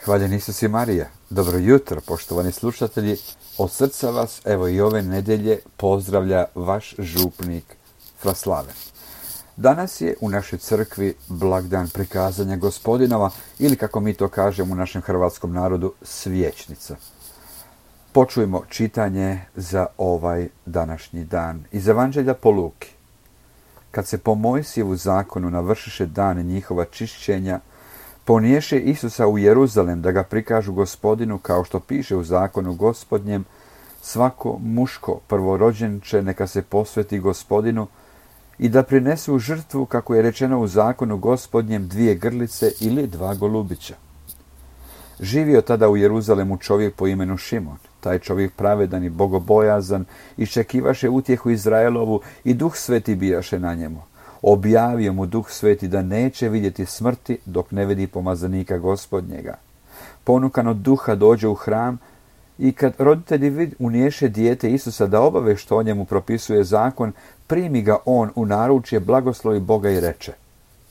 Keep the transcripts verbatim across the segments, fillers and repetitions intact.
Hvaljen Isus i Marija. Dobro jutro, poštovani slušatelji. Od srca vas, evo i ove nedjelje, pozdravlja vaš župnik Fraslave. Danas je u našoj crkvi blagdan prikazanja Gospodinova, ili kako mi to kažemo u našem hrvatskom narodu, svječnica. Počujmo čitanje za ovaj današnji dan iz Evanđelja po Luki. Kad se po Mojsijevu zakonu navršiše dan njihova čišćenja, poniješe Isusa u Jeruzalem da ga prikažu Gospodinu, kao što piše u zakonu Gospodnjem: svako muško prvorođenče neka se posveti Gospodinu, i da prinesu žrtvu, kako je rečeno u zakonu Gospodnjem, dvije grlice ili dva golubića. Živio tada u Jeruzalemu čovjek po imenu Šimon. Taj čovjek pravedan i bogobojazan, iščekivaše utjehu Izraelovu, i Duh Sveti bijaše na njemu. Objavio mu Duh Sveti da neće vidjeti smrti dok ne vidi pomazanika Gospodnjega. Ponukan od Duha dođe u hram, i kad roditelji uniješe dijete Isusa da obave što o njemu propisuje zakon, primi ga on u naručje, blagoslovi Boga i reče: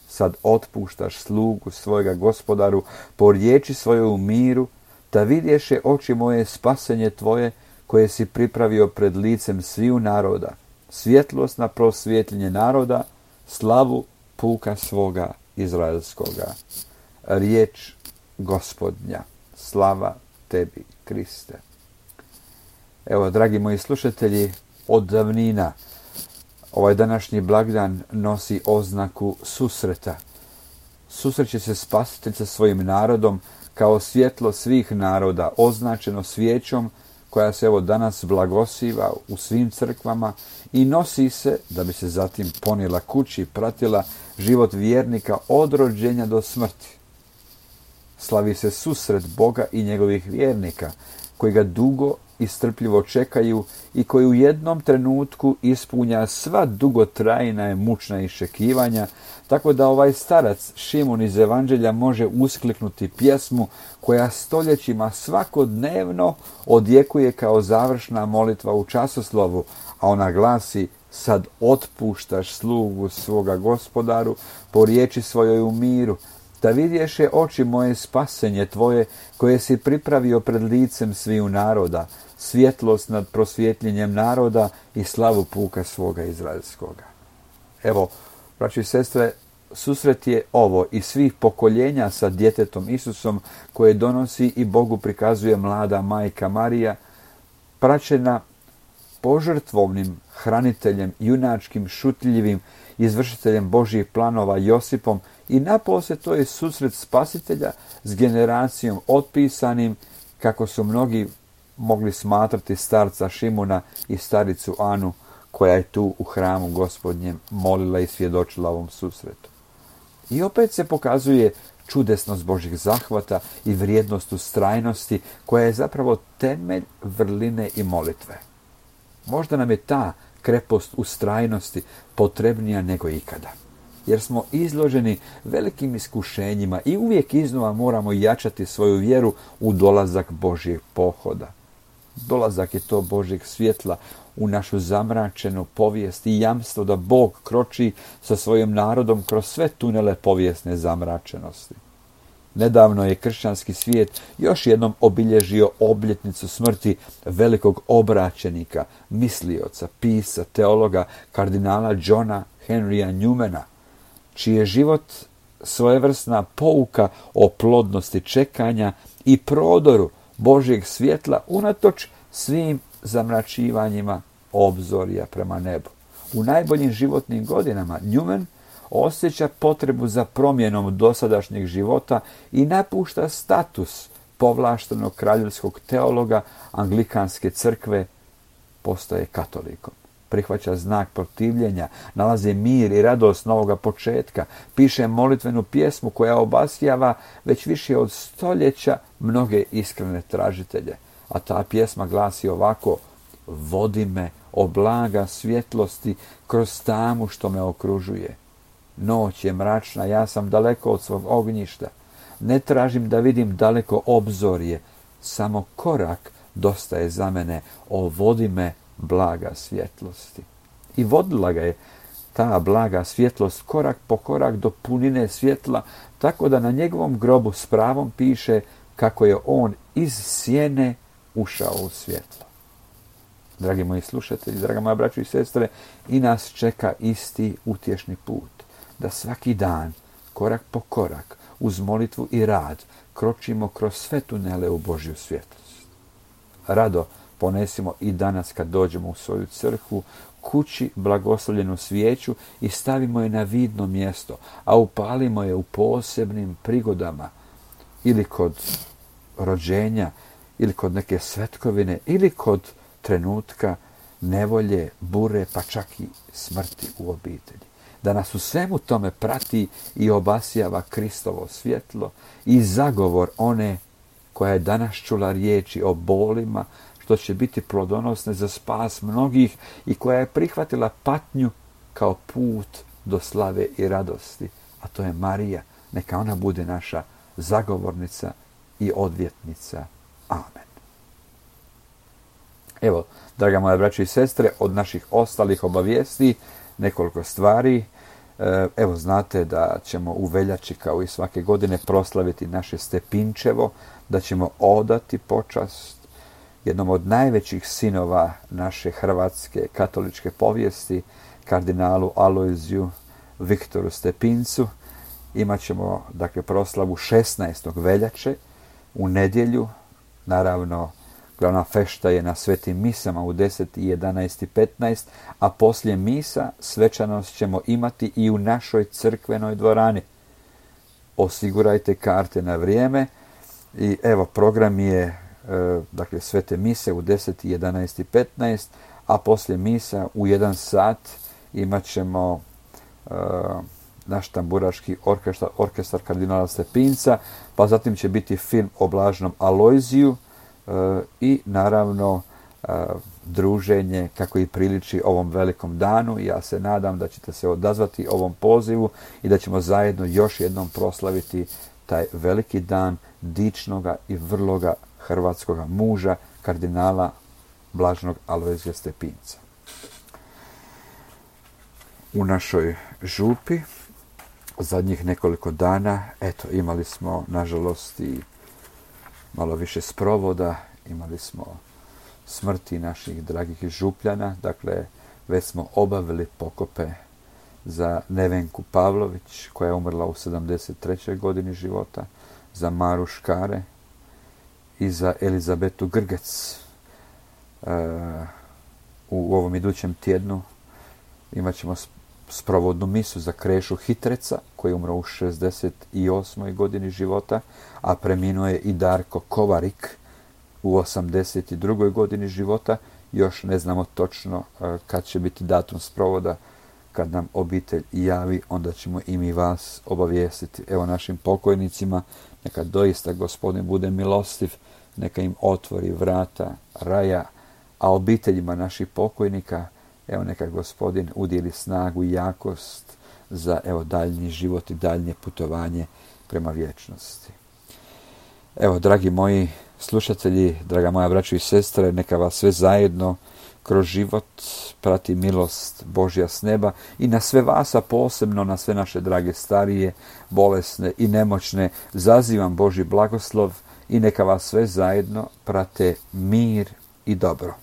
sad otpuštaš slugu svojega Gospodaru po riječi svojoj u miru, da vidješe oči moje spasenje tvoje, koje si pripravio pred licem sviju naroda, svjetlost na prosvjetljenje naroda, slavu puka svoga izraelskoga. Riječ Gospodnja. Slava tebi, Kriste. Evo, dragi moji slušatelji, od davnina ovaj današnji blagdan nosi oznaku susreta. Susreće se Spasitelj sa svojim narodom kao svjetlo svih naroda, označeno svijećom koja se evo danas blagosiva u svim crkvama i nosi se da bi se zatim ponijela kući i pratila život vjernika od rođenja do smrti. Slavi se susret Boga i njegovih vjernika, koji ga dugo i strpljivo čekaju i koji u jednom trenutku ispunja sva dugotrajna i mučna iščekivanja, tako da ovaj starac Šimon iz Evanđelja može uskliknuti pjesmu koja stoljećima svakodnevno odjekuje kao završna molitva u časoslovu, a ona glasi: sad otpuštaš slugu svoga Gospodaru po riječi svojoj u miru, da vidješe oči moje spasenje tvoje, koje si pripravio pred licem sviju naroda, svjetlost nad prosvjetljenjem naroda i slavu puka svoga izraelskoga. Evo, braći i sestre, susret je ovo i svih pokoljenja sa djetetom Isusom, koje donosi i Bogu prikazuje mlada majka Marija, praćena požrtvovnim hraniteljem, junačkim, šutljivim izvršiteljem Božjih planova Josipom, i naposlije to je susret Spasitelja s generacijom otpisanim, kako su mnogi mogli smatrati starca Šimuna i staricu Anu, koja je tu u hramu Gospodnjem molila i svjedočila ovom susretu. I opet se pokazuje čudesnost Božjih zahvata i vrijednost ustrajnosti, koja je zapravo temelj vrline i molitve. Možda nam je ta krepost ustrajnosti potrebnija nego ikada, jer smo izloženi velikim iskušenjima i uvijek iznova moramo jačati svoju vjeru u dolazak Božjeg pohoda. Dolazak je to Božjeg svjetla u našu zamračenu povijest i jamstvo da Bog kroči sa svojim narodom kroz sve tunele povijesne zamračenosti. Nedavno je kršćanski svijet još jednom obilježio obljetnicu smrti velikog obraćenika, mislioca, pisca, teologa, kardinala Johna Henrya Newmana, čiji je život svojevrsna pouka o plodnosti čekanja i prodoru Božjeg svjetla unatoč svim zamračivanjima obzorja prema nebu. U najboljim životnim godinama Newman osjeća potrebu za promjenom dosadašnjeg života i napušta status povlaštenog kraljevskog teologa Anglikanske crkve, postaje katolikom. Prihvaća znak protivljenja, nalazi mir i radost novoga početka, piše molitvenu pjesmu koja obasjava već više od stoljeća mnoge iskrene tražitelje. A ta pjesma glasi ovako: vodi me, o blaga svjetlosti, kroz tamu što me okružuje. Noć je mračna, ja sam daleko od svog ognjišta. Ne tražim da vidim daleko obzorje, samo korak dosta je za mene, o vodi me, blaga svjetlosti. I vodila ga je ta blaga svjetlost korak po korak do punine svjetla, tako da na njegovom grobu s pravom piše: kako je on iz sjene ušao u svjetlo. Dragi moji slušatelji, draga moja braćo i sestre, i nas čeka isti utješni put, da svaki dan, korak po korak, uz molitvu i rad, kročimo kroz sve tunele u Božju svjetlost. Rado ponesimo i danas kad dođemo u svoju crkvu, kući blagoslovljenu svijeću i stavimo je na vidno mjesto, a upalimo je u posebnim prigodama, ili kod rođenja, ili kod neke svetkovine, ili kod trenutka nevolje, bure, pa čak i smrti u obitelji. Da nas u svemu tome prati i obasjava Kristovo svjetlo i zagovor one koja je danas čula riječi o bolima, što će biti plodonosne za spas mnogih i koja je prihvatila patnju kao put do slave i radosti. A to je Marija. Neka ona bude naša zagovornica i odvjetnica. Amen. Evo, draga moja braćo i sestre, od naših ostalih obavijesti nekoliko stvari. Evo, znate da ćemo u veljači, kao i svake godine, proslaviti naše Stepinčevo, da ćemo odati počast jednom od najvećih sinova naše hrvatske katoličke povijesti, kardinalu Alojziju Viktoru Stepincu. Imaćemo, dakle, proslavu šesnaestog veljače u nedjelju. Naravno, glavna fešta je na svetim misama u deset, jedanaest i petnaest, a poslije misa svečanost ćemo imati i u našoj crkvenoj dvorani. Osigurajte karte na vrijeme i evo, program je dakle svete mise u deset, jedanaest i petnaest, a poslije misa u jedan sat imat ćemo uh, naš tamburaški orkestar, orkestar kardinala Stepinca, pa zatim će biti film o blaženom Alojziju uh, i naravno uh, druženje kako i priliči ovom velikom danu. Ja se nadam da ćete se odazvati ovom pozivu i da ćemo zajedno još jednom proslaviti taj veliki dan dičnoga i vrloga hrvatskoga muža, kardinala blaženog Alojzija Stepinca. U našoj župi zadnjih nekoliko dana, eto, imali smo, nažalost, i malo više sprovoda, imali smo smrti naših dragih župljana, dakle, već smo obavili pokope za Nevenku Pavlović, koja je umrla u sedamdeset trećoj godini života, za Maru Škare i za Elizabetu Grgec. E, u ovom idućem tjednu imat ćemo sprovodnu misu za Krešu Hitreca, koji je umro u šezdeset osmoj godini života, a preminuo je i Darko Kovarik u osamdeset drugoj godini života. Još ne znamo točno e, kad će biti datum sprovoda. Kad nam obitelj javi, onda ćemo i mi vas obavijestiti. Evo, našim pokojnicima, neka doista Gospodin bude milostiv, neka im otvori vrata raja, a obiteljima naših pokojnika, evo, neka Gospodin udjeli snagu i jakost za, evo, daljnji život i daljnje putovanje prema vječnosti. Evo, dragi moji slušatelji, draga moja braćo i sestre, neka vas sve zajedno kroz život prati milost Božja s neba i na sve vas, a posebno na sve naše drage starije, bolesne i nemoćne, zazivam Božji blagoslov i neka vas sve zajedno prate mir i dobro.